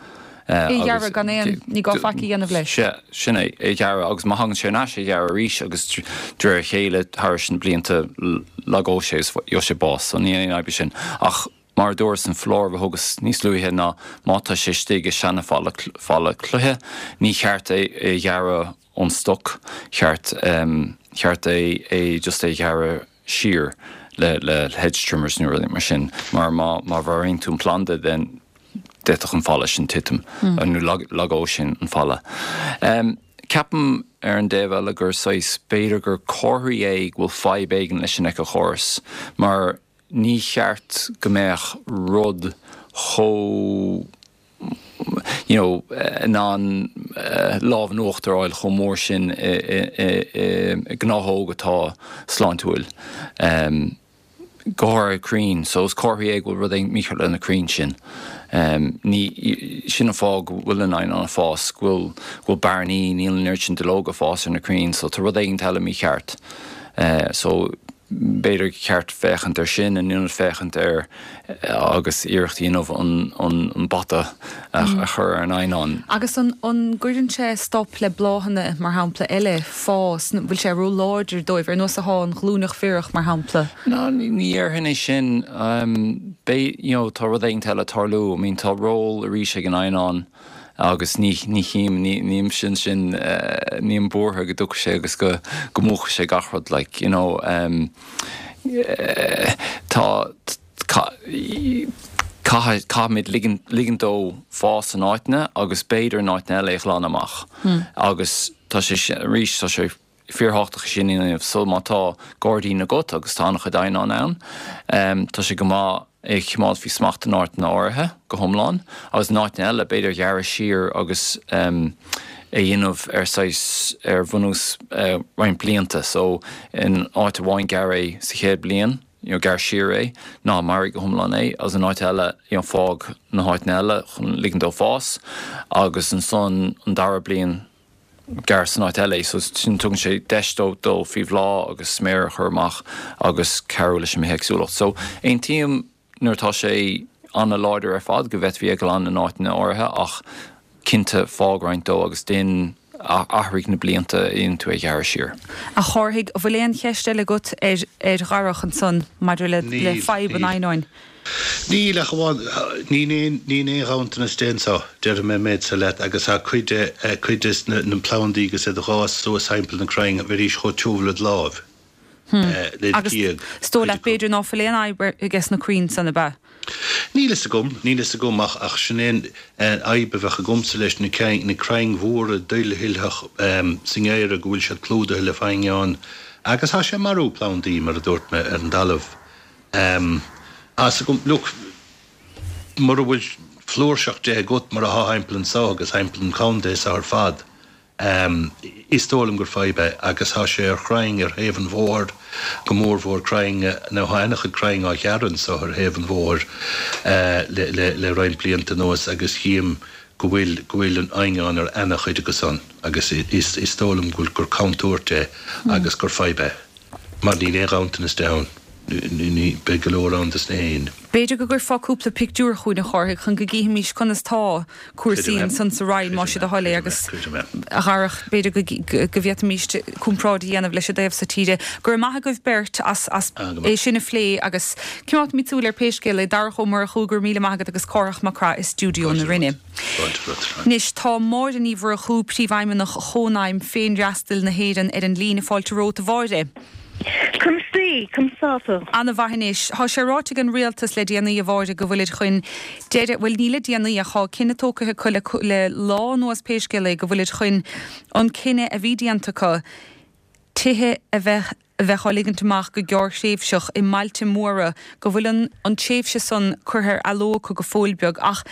É a ghearradh gan aon, ní gá faic a dhéanamh leis. Sea, sin é, é a ghearradh agus má thagann sé ar ais é a ghearradh arís agus de réir a chéile thairis na blianta lagóidh sé agus gheobhaidh sé bás. So níl aon fhadhb leis sin. Ach Mar a dúras an foláireamh a thugas níos luaithe ná má tá sé istigh i seana falla falla cloiche, ní cheart é a ghearradh ón stoc, cheart cheart é é just é a ghearradh siar le le hedge trimmers nó rudaí mar sin mar má má mharaíonn tú an planda then d'fhéadfadh an falla sin titim nó lagódh sin an falla. Ceapaim ar an dtaobh eile gur saghas b'fhéidir gur comharthaí é go bhfuil fadhb éigin leis an éiceachóras mar Ní cheart go mbeadh rud chomh you know in ann lámh in uachtar a fháil chomh mór sin i ngnáthóg atá sláintiúil. Go háirithe crainn. So is comhartha é go bhfuil rud éigin mícheart le na crainn sin. Ní, sin an fáth go bhfuil an eidhneán ag fás, go bhfuil, go bhfuil bearnaí, níl an oiread sin duilleoga ag fás ar na crainn. So tá rud éigin eile mícheart. So B'fhéidir gur cheart féachaint air sin in ionad féachaint ar agus iarracht a dhéanamh an bata a chur ar an eidhneán. Agus an gcuireann sé stop le bláthanna, mar shampla, eile fás? Bhfuil sé ró-láidir dóibh, ar nós atá an ghlúineach bhiorach, mar shampla? No, ní dhéarfainn é sin. Beidh, you know, tá rud éigin eile ag tarlú. I mean, tá ról arís ag an eidhneán. Agus ní, ní chím, ní, nílimse ansin, nílim buartha go dtiocfaidh sé agus go, go múchfaidh sé gach rud, like, you know, tá, caithfidh, caithfimid ligint, ligint dó fás in áiteanna agus b'fhéidir in áiteanna eile é a ghlanadh amach. Agus tá sé sin, arís, tá sé fíorthábhachtach sin a dhéanamh. So má tá gairdín agat agus tá an-chuid eidhneán ann, tá sé go maith é a choimeád faoi smacht in áiteanna áirithe go hiomlán agus in áiteanna eile b'fhéidir gearradh siar agus é a dhéanamh ar saghas, ar bhunús roinnt blianta. So in áit amháin gearr é sa chéad bliain, you know gearr siar é, ná maraigh go hiomlán é agus in áit eile you know fág na háiteanna eile chun ligint dó fás agus ansan an dara bliain. gearr san áit eile é so sin tugann sé deis dó dul faoi bhláth agus sméar a chur amach agus cabhrú leis an mbithéagsúlacht. So aontaím nuair atá sé an-láidir ar fad go bhféadfaí é a ghlanadh in áiteanna áirithe ach cinnte fág roinnt dó agus déan athraigh na blianta a dhéanann tú é a ghearradh siar. A Chárthaigh, an bhfuil aon cheist eile agat ar ar Dharach ansan maidir le le fadhb an eidhneáin? Níl, ach amháin, níl aon, níl aon ghanntanas de anso, déarfaidh mé an méid so leat, agus tá cuid de, cuid des na plandaí agus iad a dh'fhás suas thimpeall na crainn, bheidís chomh tiubh led láimh, led Agus ghéag, is dóigh cuid leat acu. b'fhéidir ná fuil aon fhadhb ages na crainn san, ab ea? Níl fhios agam, níl fhios agam, ach, ach sin é an fhadhb a bheadh agamsa leis, na crainn, na crainn mhóra duillsilteach sa ngeimhreadh go bhfuil siad clúdaithe le foighneán, agus tá sé ag marú plandaí, mar a dúirt mé, ar an dtalamh. Tá fhios agam, look, mura bhfuil flúirseacht de agat mar athá thimpeall anso agus thimpeall an chontae so ar fad, is dóigh liom gur fadhb é agus tá sé ar chrainn ar thaobh an bhóthair, go mórmhór crainn, nó tá ana-chuid crainn á ghearradh anso ar thaobh an bhóthair le, le roinnt blianta anuas agus chím go bhfuil, go bhfuil an eidhneán ar ana-chuid acu san agus is, is dóigh liom go bhfuil, gur contúirt é agus gur fadhb é. Mar níl aon ghanntanas de ann. Ní, beidh go leor ann dos na héin. B'fhéidir go gcuirfeá cúpla pictiúr chugainn, a Chárthaigh, chun go gcífimis conas tá cúrsaí ansan sa Rinn, más é do thoil é, agus, a Dharach, b'fhéidir go, go bhféadfaimis comparáid a dhéanamh leis an dtaobh so tíre. Go raibh maith agaibh beirt as, as é sin a phlé agus coimeádfaimid súil ar pé scéal é. Darach Ó Murchú, go raibh míle maith agat agus Cárthach Mac Craith i stiúideo na Rinne. Anois, tá Máire Ní Mhurchú, Príomhfheidhmeannach Chónaidhm Féinfhreastail na hÉireann ar an líne. Fáilte romhat, a Mháire. Conas taoi? Conas tá tú? Ana-mhaith anois. Tá sé ráite ag an Rialtas le déanaí, a Mháire, go bhfuilid chun deireadh, bhuel, ní le déanaí ach tá cinneadh tógtha acu le, le lá anuas pé scéal é, go bhfuilid chun an cinneadh a bhí déanta acu tithe a bheith, a bheith á ligint amach go gearrthréimhseach i mbailte móra, go bhfuil an an tréimhse san curtha ar athló acu go fóill beag ach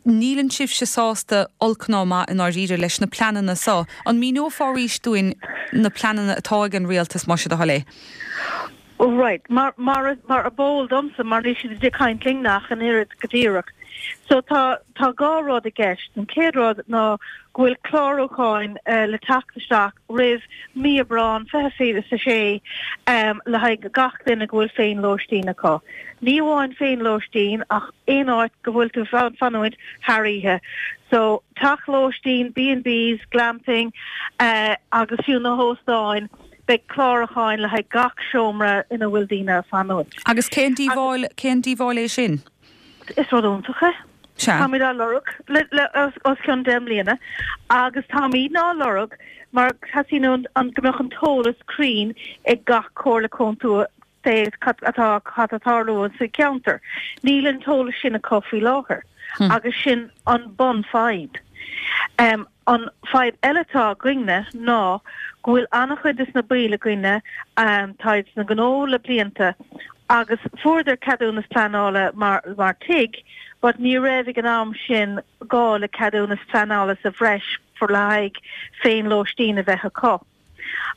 níleann sibhse sásta olc ná maith i ndáiríre leis na pleananna so. An míneofá arís dúinn na pleananna atá ag an Rialtas más é do thoil é? Right, mar mar mar ab eol domsa mar níl siad ag caint linn ach an oiread go díreach. So tá tá dhá rud i gceist. An chéad rud ná go bhfuil clárúcháin le teacht isteach roimh mí Aibreán 2026 le haghaidh gach duine go bhfuil féin-lóistín acu. Ní amháin féin-lóistín ach aon áit go bhfuil tú fanúint thar oíche. So teach lóistín, B&Bs, glamping agus fiú na hóstáin, beidh clárúcháin le haghaidh gach seomra ina bhfuil daoine ag fanúint. Agus cén díobháil, cén díobháil é sin? Is rud iontach é. Sea. Táimid á lorg le le os cionn 10 mbliana agus táimidne á lorg mar teastaíonn an go mbeadh an t-eolas cruinn ag gach comhairle contae cad atá cad atá ag tarlú sa cheantar. Níl an t-eolas sin acu faoi láthair agus sin an bun-fhadhb. An fadhb eile atá againne ná go bhfuil an-chuid des na baill againne, táid sna gnó le blianta agus fuaireadar ceadúnas pleanála mar mar tigh but ní raibh ag an am sin gá le ceadúnas pleanála sa bhreis for le haghaidh féin lóistín a bheith acu.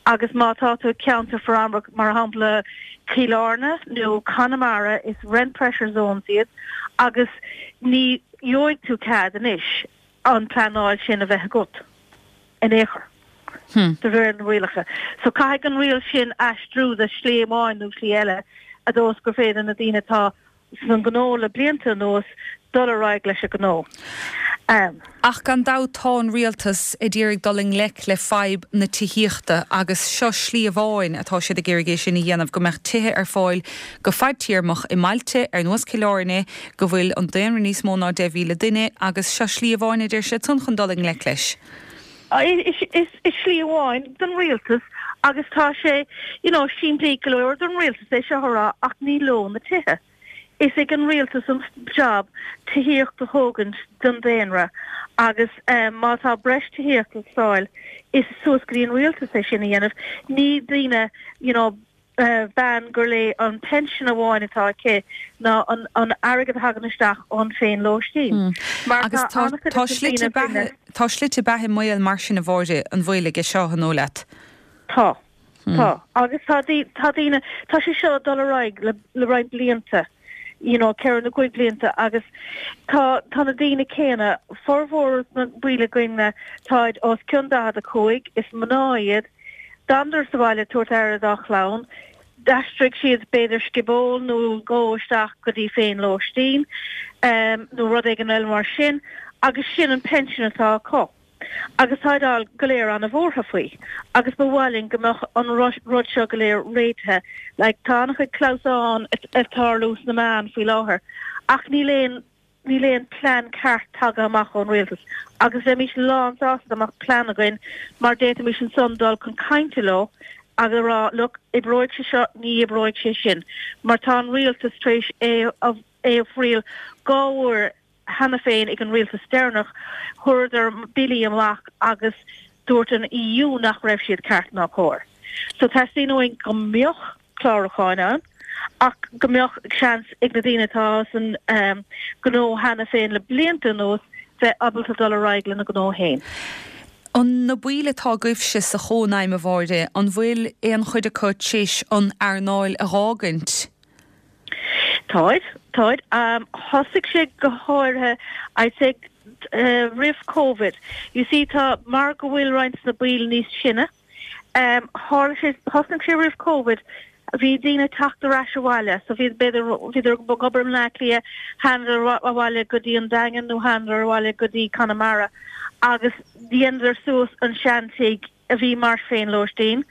Agus má tá tú i ceantar foriomlán mar shampla Cill Airne nó Conamara is rent pressure zones iad agus ní gheobhaidh tú cead anois an pleanáil sin a bheith agat in aon chor de réir na rialacha. So caithfidh an riail sin aistriú de shlí amháin nó slí eile i dtreo is gur féidir na daoine atá san gnó le blianta anuas dul ar aghaidh leis an gnó. Ach gan dabht tá an rialtas ag iarraidh dul i ngleic le fadhb na tithíochta agus seo slí amháin atá siad ag iarraidh é sin a dhéanamh, go mbeadh tithe ar fáil go fadtéarmach i mbailte ar nós Cill Airne go bhfuil an daonra níos mó ná 10,000 duine agus seo slí amháin a deir siad san chun dul i ngleic leis. Is slí amháin don rialtas agus tá sé you know simplí go leor don rialtas é seo a rá ach ní leo na tithe. Is ag an rialtas an job tithíocht a thógaint don daonra agus má tá breis tithíocht le fáil is suas go dtí an rialtas é sin a dhéanamh. Ní daoine you know bean gur léi an pension amháin atá aici ná an airgead a thagann isteach ón féin lóistín. Mar Agus tá an-chuid tá de na slite daoine beatha, tá slite beatha i mbaol mar sin a Mháire, an bhfuil aige seo, an dóigh leat? Tá. Tá. Agus tá tá daoine, tá sé seo ag dul ar aghaidh le le roinnt blianta. you know, 4 nó 5 blianta agus tá tá na daoine céanna, formhór na baill againne táid os cionn 45, is mná iad, d'fhanadar sa bhaile ag tabhairt aire dá chlann, d'aistrigh siad b'fhéidir sciból nó dhó isteach go dtí féin-lóistín nó rud éigin eile mar sin agus sin an pension atá acu. Agus táid all go léir ana-bhuartha faoi agus ba mhaith linn go mbeadh an rud seo go léir réitithe. Like tá an-chuid clamhsán ag tarlú sna meáin faoi láthair ach níl aon níl aon plean ceart tagtha amach ón rialtas agus bheimís lán sásta dá mbeadh plean againn mar d'fhéadfaimis ansan dul chun cainte leo agus a rá look oibreoidh sé seo ní oibreoidh sé sin mar tá an rialtas tar éis é a é a thriail dhá uair cheana féin ag an rialtas deireanach, chuireadar billí amach agus dúirt an EU nach raibh siad ceart ná cóir. So teastaíonn uainn go mbeadh clárúcháin ann ach go mbeadh seans ag na daoine atá san gnó cheana féin le blianta anuas bheith ábalta dul ar aghaidh lena ngnó féin. An na baill atá agaibhse sa Chónaidhm, a Mháire, an bhfuil aon chuid acu tar éis an earnáil a dh'fhágaint? Táid, táid. Thosaigh sé go háirithe, I'd say, roimh Covid. You see, tá, mar go bhfuil roinnt de na baill níos sine, tharla sé, thosnaigh sé roimh Covid, bhí daoine ag teacht ar ais abhaile, so bhí, b'fhéidir, bhíodar ag obair i mBleá Cliath, thánadar abhaile go dtí an Daingean nó thánadar abhaile go dtí Conamara agus dheineadar suas an seantigh a bhí mar féinlóistín,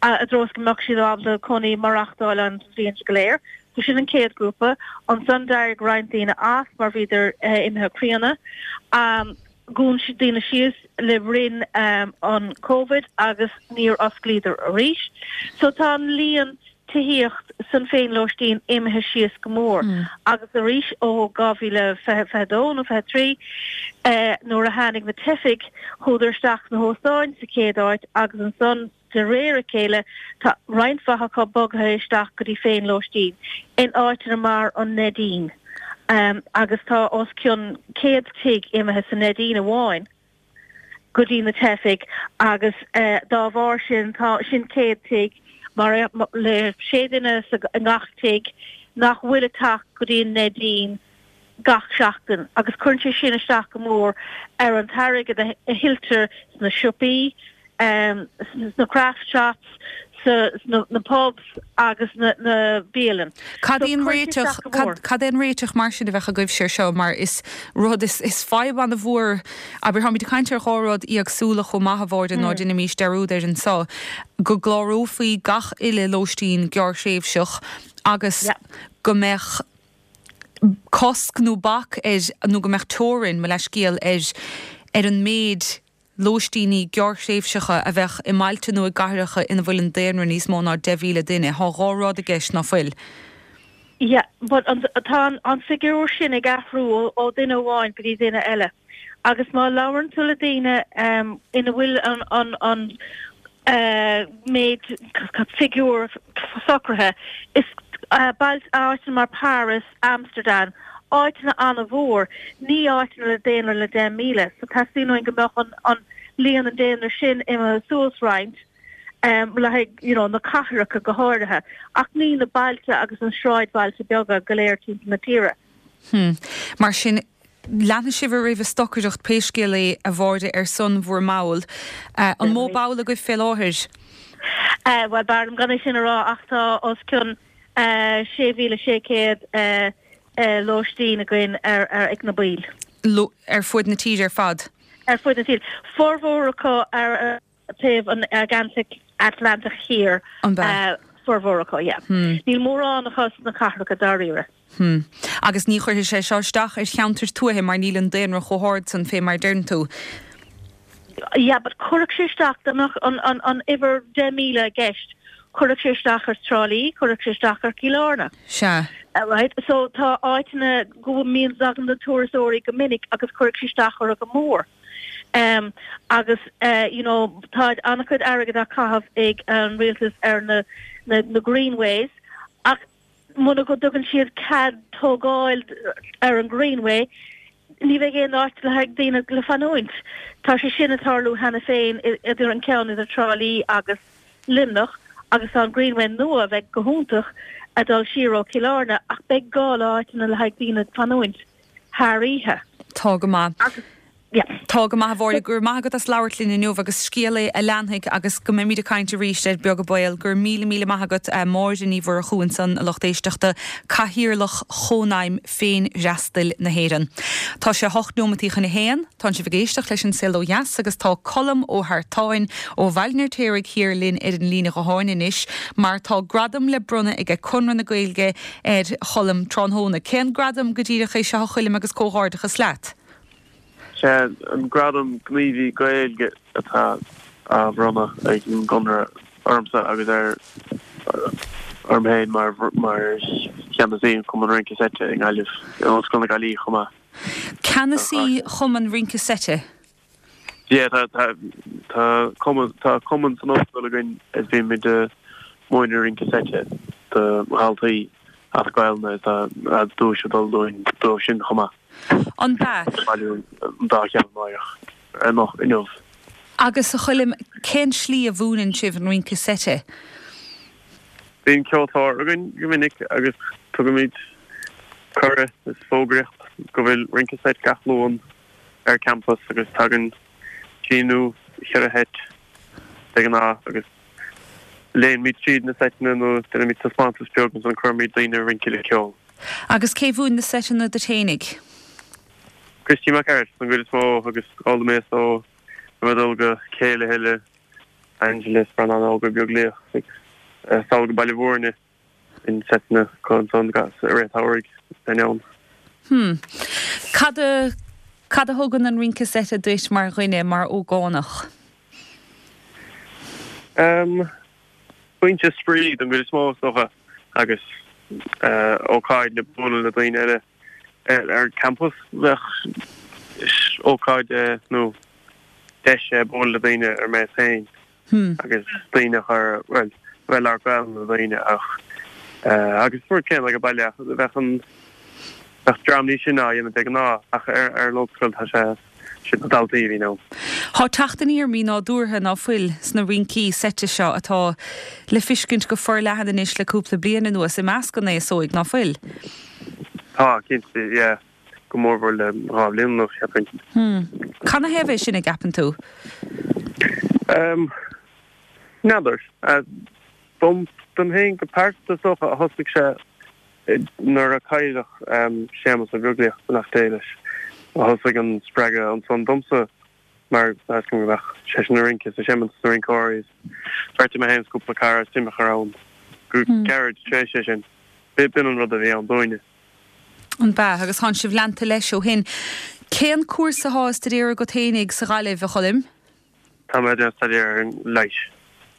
i dtreo is go mbeadh siad ábalta cónaí maireachtáil ann an bhliain go léir. So sin an chéad ghrúpa. Ansan d'éirigh roinnt daoine as mar bhíodar imithe críonna. Dhún siad daoine síos le linn an Covid agus níor osclaíodar arís. So tá an líon tithíocht san féinlóistín imithe síos go mór agus arís ó 2022 nó 23 nuair a tháinig na teifigh, chuadar isteach sna hóstáin sa chéad áit agus ansan de réir a chéile tá roinnt mhaith acu bogtha isteach go dtí féinlóistín in áiteanna mar an Neidín agus tá os cionn 100 tigh imithe sa Neidín amháin. go dtí na teifigh agus dá bharr sin tá sin 100 tigh mar le sé duine i ngach tigh nach bhfuil ag teacht go dtí an Neidín gach seachtain agus cuireann sé sin isteach go mór ar an t-airgead a thuilltear sna siopaí, sna craft shops, sna pubs agus na bialann. Cad é an réiteach, cad é an réiteach mar sin a bheadh agaibhse ar seo mar is rud, is fadhb an-mhór, abair, táimid ag caint ar dhá rud éagsúla chomh maith a Mháire, ná déanaimis dearúd air anso, go gclárófaí gach uile lóistín gearrthréimhseach agus go mbeadh cosc nó bac ar, nó go mbeadh teorainn, mo leithscéal, ar ar an méid lóistíní gearrthréimhseacha a bheadh i mbailte nó i gcathracha ina bhfuil an daonra níos mó ná 10,000 duine. Thá dhá rud i gceist, ná fuil? Yeah, but an, tá an figiúr sin ag athrú ó duine amháin go dtí duine eile. Agus má labhrann tú le daoine ina bhfuil an, an, an méid figiúr socraithe, is bailte, áiteanna mar Paris, Amsterdam, áiteanna an-mhór, ní áiteanna le daonra le 10,000, so teastaíonn uainn go mbeadh an an líon an daonra sin imithe suas roinnt le haghaidh you know na cathracha go háirithe, ach ní na bailte agus na sráidbhailte beaga go léir timpeall na tíre. Hmm. Mar sin, leanfaidh sibh ar aghaidh ag stocaireacht pé scéal é, a Mháire, ar son bhur mball. An mó ball agaibh fé láthair? Bhuel, b'fhearr liom gan é sin a rá ach tá os cionn 6,600 lóistín againn ar ag na baill. Ar fuaid na tíre ar fad? Ar fuaid na tíre. Formhór acu ar taobh an Atlantach Thiar. An ea? Formhór acu, yeah. Níl mórán acu sna cathracha dáiríre. Hmm. Agus ní chuirfidh sé seo isteach ar cheantair tuaithe mar níl an daonra chomh hard san fé mar a deireann tú. Yeah, but chuirfeadh sé isteach, dá mbeadh an, an, an uimhir 10,000 i gceist, chuirfeadh sé isteach ar Trá Lí, chuirfeadh sé isteach ar Chill Airne. Sea. Right? So tá áiteanna go mbíonn tagann na turasóirí go minic agus chuirfeadh sé isteach orthu go mór. Um, agus uh, you know, tá an-chuid airgead á caitheamh ag an rialtas ar na, na, na greenways ach muna go dtugann siad cead tógáil ar an Greenway, ní bheidh aon áit le haghaidh daoine le fanúint. Tá sé sin ag tarlú cheana féin idir an ceann idir Trá Lí agus Luimneach agus tá an Greenway nua a bheidh go hiontach. A dul siar ó Chill Airne ach beidh gá le áiteanna le haghaidh daoine fanúint thar oíche. Tá go maith. Agus, yeah. Tá go maith a Mháire, go raibh maith agat as labhairt linn inniu agus scéal é a leanfaidh agus go mbeimid ag caint arís air beag an baol. Go raibh míle míle maith agat Máire Ní Mhurchú ansan a lucht éisteachta, Cathaoirleach Chónaidhm Féinfhreastail na hÉireann. Tá sé 8 neomataí chun a haon, tánn sibh ag éisteacht leis An Saol Ó Dheas agus tá Colm Ó hEartáin ó Bhaile an Fheirtéaraigh Thiar linn ar an líne ghutháin anois mar tá gradam le bronnadh aige Conradh na Gaeilge ar Cholm tráthnóna. Cén gradam go díreach é seo a Choilm agus comhghairdeachas leat? Sé an gradam Gníomhaí Gaeilge atá á bhronnadh ag an gConradh ormsa agus ar orm féin mar mar cheannasaí an Chumann Rince Seite i nGaillimh, in Ollscoil na Gaillimhe chomh maith. Ceannasaí Chumann Rince Seite? Yeah, tá tá tá cumann tá cumann san ollscoil againn is bímid ag múineadh rince seite do dhaltaí as Gaelainn is tá duais ag dul dúinn dóibh sin chomh maith. An b'ea? Bailiú an dá cheann amárach, anocht, inniu. Agus a Choilm, cén slí a mhúineann sibh an rince seite? Bíonn ceoltóir againn go minic agus tugaimid cuireadh is fógraíocht go bhfuil rince seit gach Luan ar campas agus tagann trí nó cheithre sheit de ghnáth agus léinnimid tríd na seiteanna nó déanaimid taispeántas beag agus ansan cuirimid daoine ag rince le ceol. Agus cé mhúin na seiteanna duit fhéinig? Christy Mac Airt don gcuid is mó agus d'fhoghlaim mé ó bheith ag dul go céilithe le Angela is Breandán Óg Ó Beaglaoich agus sall go Baile Bhúirne bíonn seiteanna acu ansan i rith an tsamhraidh bheinn ann. Hmm. Cad a, cad a thugann an rince seite duit mar dhuine, mar ógánach? Em. Pointe spraoi don gcuid is mó is dócha agus ócáid le bualadh le daoine eile ar an campas. Bheadh ócáid é nó deis é bualadh le daoine ar maos féin agus daoine a chur, bhuel, a bheith ag labhairt Gaelainn le daoine ach agus rud céanna ag an baile ach bheadh an, bheadh dream níos sine á dhéanamh de ghnáth ach ar an ollscoil tá sé siad na daltaí a bhíonn ann. Tá teacht aniar mí-nádúrtha ná fuil sna rincí seite seo atá le fiscint go forleathan anois le cúpla bliain anuas i measc an aos óig, ná fuil? Tá, cinnte, yeah. Go mórmhór le 2 bhliain anuas, cheapfainn. Hmm. Canathaobh é sin, a gceapann tú? Ehm, n'fheadar. Dom, dom féin go pearsanta is dócha a thosaigh sé Nuair a cailleadh Séamus Ó Beaglaoich, beannacht Dé leis, a thosaigh an spreagadh ansan domsa mar tá 'fhios agam go mbeadh seisean ag rince is ag seimint sna rinceoirí is bheartaigh mé féin is cúpla cara suim a chur ann go gairid tar éis é sin. B'in an rud a bhí ann dúinne. An b'ea? Agus thánn sibh leanta leis ó shin. Cén cúrsa athá á staidéar agat fhéinig sa Ghaillimh, a Choilm? Tá mé ag déanamh staidéar ar an leigheas.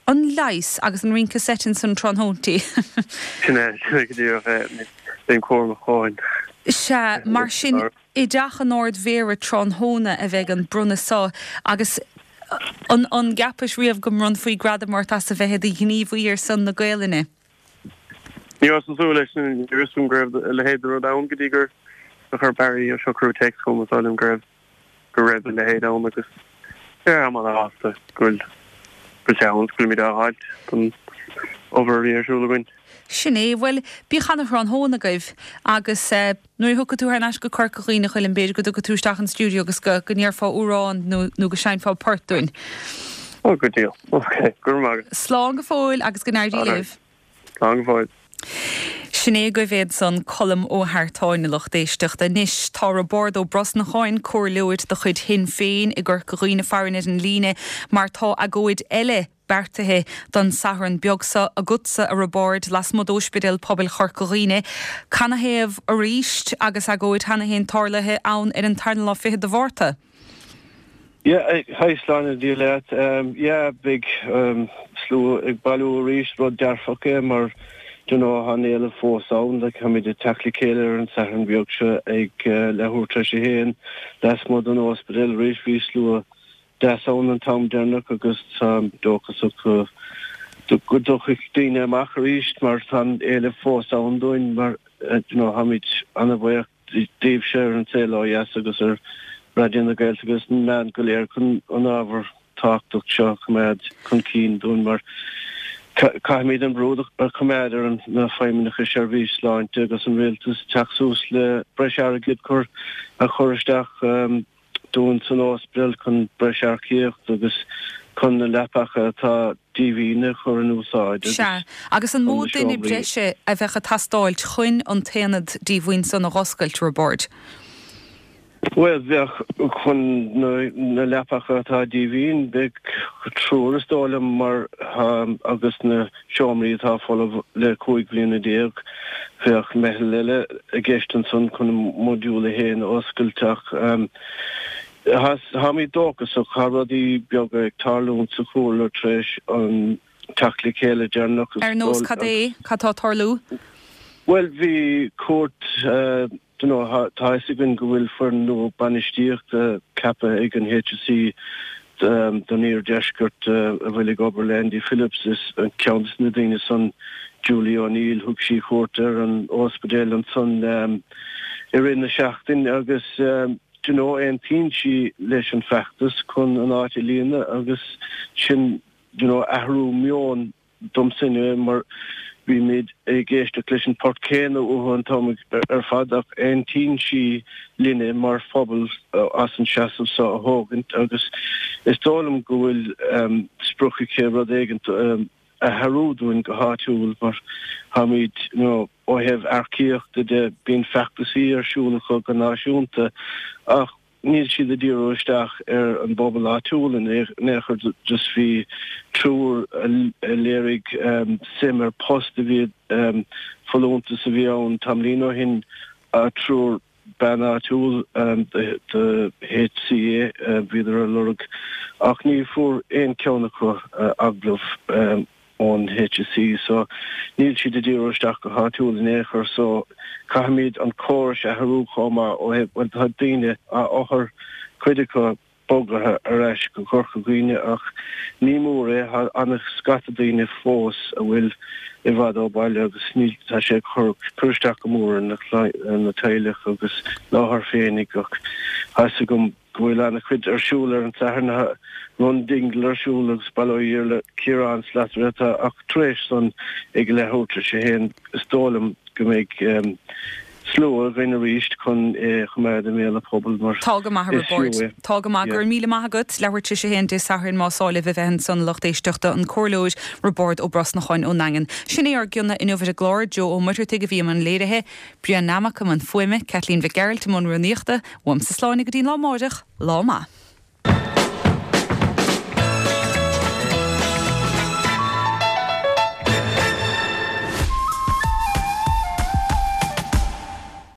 An leigheas agus an rince seit ansan tráthnóintí. Sin é, sin é go díreach é. Bím cúramach dhóthain. Sea, mar sin, i dTeach an Ard-Mhéara tráthnóna a bheidh an bronnadh so agus an an gceapais riamh go mbronnfaí gradam ort as a bheith i do ghníomhaí ar son na Gaelainne? Ní rabhas ag súil leis sin, ní raibh fhios agam go raibh a leithéid de rud ann go dtí gur chuir Barry Ó Siochrú téacs chugam ag rá liom go raibh go raibh a leithéid ann agus yeah táim ana-shásta go bhfuil go bhfuil sé ann agus go bhfuilimid á fháilt don obair a bhí ar siúl againn. Sin é. Bhuel, bíodh ana-thráthnóna agaibh agus eh nuair a thiocfaidh tú thar n-ais go Corca Dhuibhne, a Choilm, b'fhéidir go dtiocfaidh tú isteach an stiúideo agus go go ndéarfá amhrán nó nó go seinnfeá port dúinn. Oh, good deal. Ok, go raibh maith agat. Slán go fóill agus go n-éirí libh. Slán go fóill. Sin é agaibh é ansan, Colm Ó hEartáin, a lucht éisteachta. Anois, tá Roibeárd Ó Brosnacháin, comhairleoir de chuid Shinn Féin i gCorca Dhuibhne farainn ar an líne mar tá agóid eile beartaithe don Satharn beag seo agatsa, a Roibeáird, lasmuigh d'Óispidéal Pobail Chorca Dhuibhne. Canathaobh arís agus agóid cheana féin tarlaithe ann ar an tarna lá fichead de Mhárta? Yeah, hi Sláine Dia leat. Yeah, beidh slua ag bailiú arís, rud dearfach é mar do you know tá an éileamh fós ann, like táimid ag teacht le chéile ar an Satharn beag seo ag leathuair tar éis a haon lasmuigh den ospidéal arís, bhí slua deas ann an t-am deireanach agus táim dóchasach go go dtiocfaidh daoine amach arís mar tá an éileamh fós ann dúinn mar you know táimid ana-bhuíoch daoibhse ar An Saol Ó Dheas agus ar Raidió na Gaeltachta agus na meáin go léir chun an ábhar tábhachtach seo a choimeád chun cinn dúinn mar. Caithfimid an brú a choimeád ar na feidhmeannacha seirbhís sláinte agus an rialtas teacht suas le breis airgid cur a chur isteach dúinn san ospidéal chun breis earcaíocht agus chun na leapacha atá díomhaoin a chur in úsáid agus Sea, agus an mó chun na duine seomraí. breise a bheadh ag teastáilt chun an t-aonad díomhaoin san a dh'oscailt, Roibeárd? Bhuel, bheadh, chun na leapacha atá díomhaoin, bheadh triúr is dóigh liom mar agus na seomraí atá folamh le 15 bliana, bheadh meitheal eile i gceist ansan chun modúl a haon a oscailt ach táimid dóchasach, tá rudaí beaga ag tarlúint sa chomhairle tar éis an teacht le chéile deireanach. Ar nós cad é? Cad tá ag tarlú? Bhuel, bhí cuairt. Do you know, tá fhios againn go bhfuil foireann nua bainistíochta ceaptha ag an HSE don Iardheisceart a bhfuil ag obair le Andy Phillips. Is ceann de na daoine san Julie O'Neill. Thug sí cuairt ar an ospidéal ansan i rith na seachtaine agus do you know, aontaíonn sí leis an feachtas chun an áit a líonadh agus sin do you know, athrú meoin domsa inniu mar bímid ag éisteacht leis an port céanna uathu an t-am ar fad ach aontaíonn sí linne mar phobal as an seasamh seo a thógaint agus is dóigh liom go bhfuil sprioc aici rud éigint a athrú dúinn go háitiúil mar táimid you know ó thaobh earcaíochta de bíonn feachtasaí ar siúl acu go náisiúnta ach níl siad ag díriú isteach ar an bpobal áitiúil in aon chor just bhí triúr a léirigh suim ar post a bhí folúntas a bhí ann tamaillín ó shin triúr bean áitiúil do HCA bhíodar ar lorg ach ní fuair aon cheann acu agallamh. ón HSE so níl siad ag díriú isteach go háitiúil in aon chor so caithfimid an córas a athrú chomh maith ó thaobh bhuel tá daoine othair cuid acu bogtha ar ais go Corca Dhuibhne ach ní mór é tá ana scata daoine fós a bhfuil i bhfad ó baile agus níl tá sé ag cur cur isteach go mór ar na ar na teaghlaigh agus na hothair féinig ach tá fhios agam go bhfuil an-chuid ar siúl ar an Satharn. Tá Run Dingle ar siúl agus baileoidh Iarla Ciarán Slattery atá ach tar éis san ag leathuair tar éis a haon is dóigh liom go mbeidh slua againn arís chun é a choimeád i mbéal an phobail mar Tá go maith a is fiú Roibeaird. é. Tá go maith. Go raibh míle maith agat. Leathuair tar éis a haon Dé Sathairn más áil libh a bheith ansan a lucht éisteachta, an Comhairleoir Roibeárd Ó Brosnacháin ón nDaingean. Sin é ár gcion inniu ar an gclár. Joe Ó Muircheartaigh a bhí i mbun léirithe. Brian Nammock i mbun fuaime, Kathleen Mhic Gearailt i mbun rúnaíochta, uaimse Sláine go dtí an lá amáireach, lá maith.